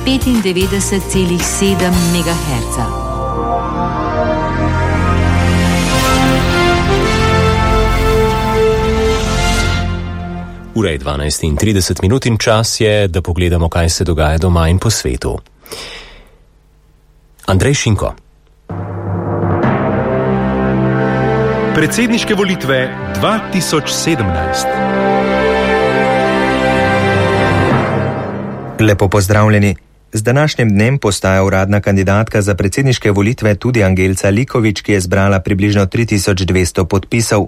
95,7 MHz. Ura je 12:30 in čas je, da pogledamo, kaj se dogaja doma in po svetu. Andrej Šinko. Predsedniške volitve 2017. Lepo pozdravljeni. Z današnjim dnem postaja uradna kandidatka za predsedniške volitve tudi Angelca Likovič, ki je zbrala približno 3200 podpisov.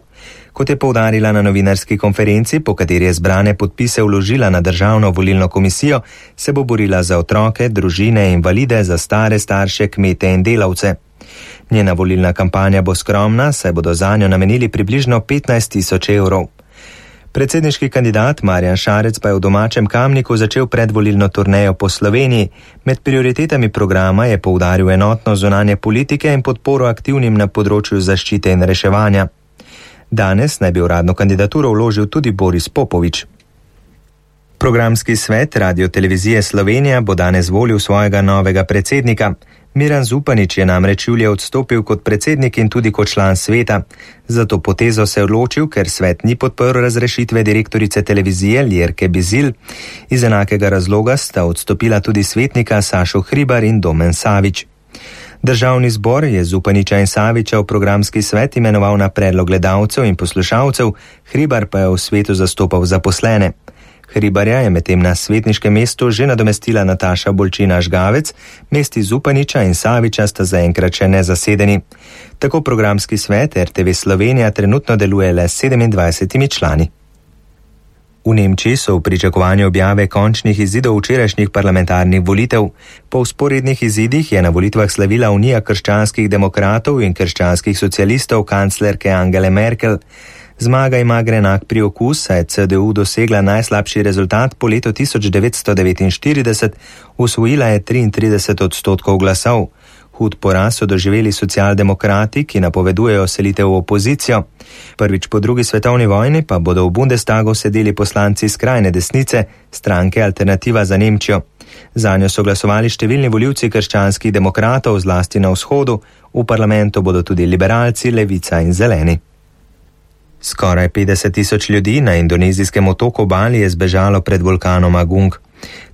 Kot je poudarila na novinarski konferenci, po kateri je zbrane podpise vložila na Državno volilno komisijo, se bo borila za otroke, družine, invalide, za stare starše, kmete in delavce. Njena volilna kampanja bo skromna, saj bodo zanjo namenili približno 15.000 evrov. Predsedniški kandidat Marjan Šarec pa je v domačem Kamniku začel predvolilno turnejo po Sloveniji. Med prioritetami programa je poudaril enotno zunanje politike in podporo aktivnim na področju zaščite in reševanja. Danes naj bi uradno kandidaturo vložil tudi Boris Popovič. Programski svet Radio-televizije Slovenija bo danes volil svojega novega predsednika. Miran Zupanič je namreč julija odstopil kot predsednik in tudi kot član sveta. Za to potezo se je odločil, ker svet ni podprl razrešitve direktorice televizije Ljerke Bizilj. Iz enakega razloga sta odstopila tudi svetnika Sašo Hribar in Domen Savič. Državni zbor je Zupaniča in Saviča v programski svet imenoval na predlog gledalcev in poslušalcev, Hribar pa je v svetu zastopal zaposlene. Hribarja je medtem na svetniškem mestu že nadomestila Nataša Bolčina Žgavec, mesti Zupaniča in Saviča sta zaenkrat še nezasedeni. Tako programski svet RTV Slovenija trenutno deluje le s 27 člani. V Nemčiji so v pričakovanju objave končnih izidov včerajšnjih parlamentarnih volitev. Po vzporednih izidih je na volitvah slavila Unija krščanskih demokratov in krščanskih socialistov kanclerke Angele Merkel. Zmaga ima grenak priokus, saj je CDU dosegla najslabši rezultat po letu 1949, osvojila je 33% glasov. Hud poraz so doživeli socialdemokrati, ki napovedujejo selitev v opozicijo. Prvič po drugi svetovni vojni pa bodo v Bundestagu sedeli poslanci skrajne desnice, stranke Alternativa za Nemčijo. Zanjo so glasovali številni volivci krščanskih demokratov, zlasti na vzhodu, v parlamentu bodo tudi liberalci, levica in zeleni. Skoraj 50.000 ljudi na indonezijskem otoku Bali je zbežalo pred vulkanom Agung.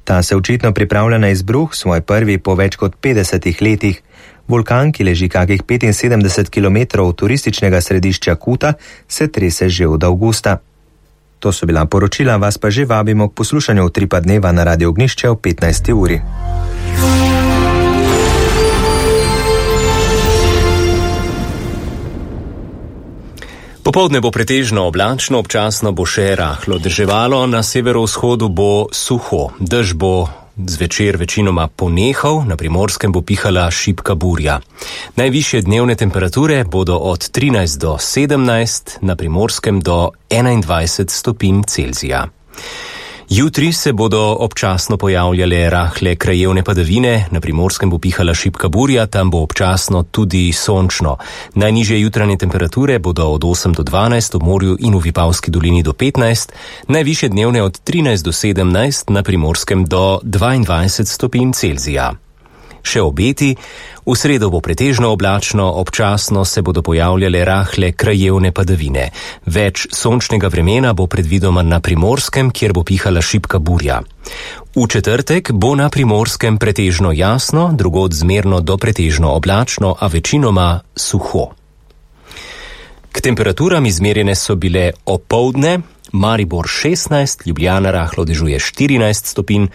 Ta se očitno pripravlja na izbruh, svoj prvi po več kot 50 letih. Vulkan, ki leži kakih 75 km od turističnega središča Kuta, se trese že od avgusta. To so bila poročila, vas pa že vabimo k poslušanju Utripa dneva na Radio Ognjišče ob 15. uri. Popoldne bo pretežno oblačno, občasno bo še rahlo deževalo, na severovzhodu bo suho. Dež bo zvečer večinoma ponehal, na Primorskem bo pihala šibka burja. Najvišje dnevne temperature bodo od 13 do 17, na Primorskem do 21 stopinj Celzija. Jutri se bodo občasno pojavljale rahle krajevne padavine, na Primorskem bo pihala šibka burja, tam bo občasno tudi sončno. Najnižje jutranje temperature bodo od 8 do 12, ob morju in v Vipavski dolini do 15, najvišje dnevne od 13 do 17, na Primorskem do 22 stopinj Celzija. Še obeti, v sredo bo pretežno oblačno, občasno se bodo pojavljale rahle krajevne padavine. Več sončnega vremena bo predvidoma na Primorskem, kjer bo pihala šibka burja. V četrtek bo na Primorskem pretežno jasno, drugod zmerno do pretežno oblačno, a večinoma suho. K temperaturam izmerjene so bile opoldne, Maribor 16, Ljubljana rahlo dežuje 14 stopinj,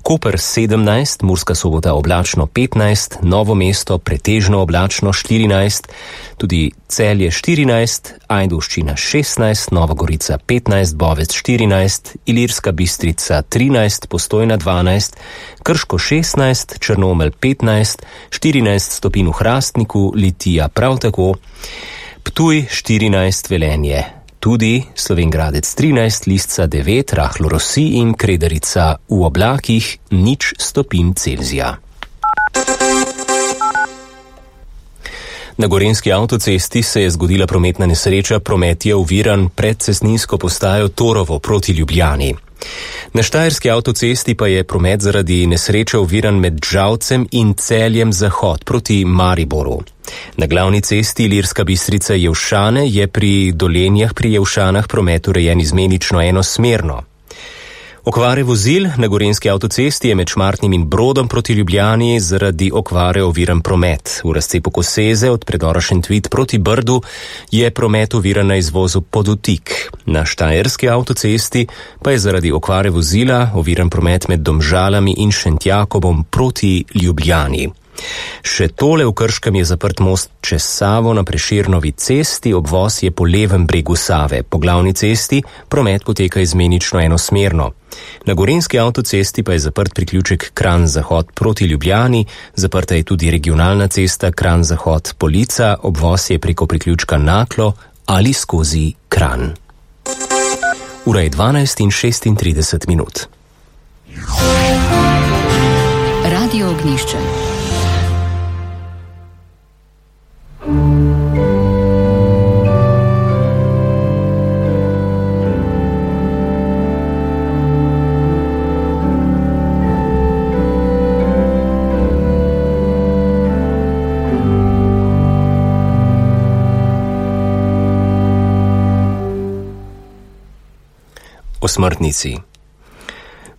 Koper 17, Murska Sobota oblačno 15, Novo mesto pretežno oblačno 14, tudi Celje 14, Ajdovščina 16, Nova Gorica 15, Bovec 14, Ilirska Bistrica 13, Postojna 12, Krško 16, Črnomelj 15, 14 stopinj v Hrastniku, Litija prav tako, Ptuj 14, Velenje tudi, Slovenj Gradec 13, Lisca 9, rahlo rosi in Kredarica v oblakih 0 stopinj Celzija. Na gorenjski avtocesti se je zgodila prometna nesreča, promet je oviran pred cestninsko postajo Torovo proti Ljubljani. Na štajerski avtocesti pa je promet zaradi nesreče oviran med Žalcem in Celjem Zahod proti Mariboru. Na glavni cesti Ilirska Bistrica-Jelšane je pri Dolenjah pri Jelšanah promet urejen izmenično enosmerno. Okvare vozil na gorenjski avtocesti je med Šmartnim in Brodom proti Ljubljani zaradi okvare oviran promet. V razcepu Koseze od predora Šentvid proti Brdu je promet oviran na izvozu Podutik. Na štajerski avtocesti pa je zaradi okvare vozila oviran promet med Domžalami in Šentjakobom proti Ljubljani. Še tole v Krškem je zaprt most čez Savo na Prešernovi cesti, obvoz je po levem bregu Save. Po glavni cesti promet poteka izmenično enosmerno. Na gorenjski avtocesti pa je zaprt priključek Kranj-Zahod proti Ljubljani, zaprta je tudi regionalna cesta Kranj-Zahod-Polica, obvoz je preko priključka Naklo ali skozi Kranj. Ura je 12:36. Radio Ognjišče. O smrtnici.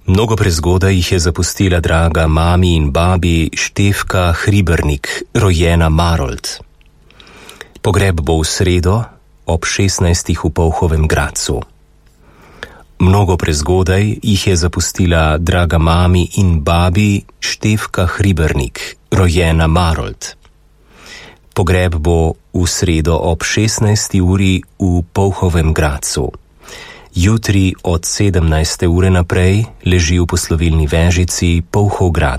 Mnogo prezgodaj jih je zapustila draga mami in babi Štefka Hribernik, rojena Marold. Pogreb bo v sredo ob 16. v Polhovem Gradcu. Mnogo prezgodaj jih je zapustila draga mami in babi Štefka Hribernik, rojena Marold. Pogreb bo v sredo ob 16. uri v Polhovem Gradcu. Jutri od 17. ure naprej leži v poslovilni vežici Polhov Grad.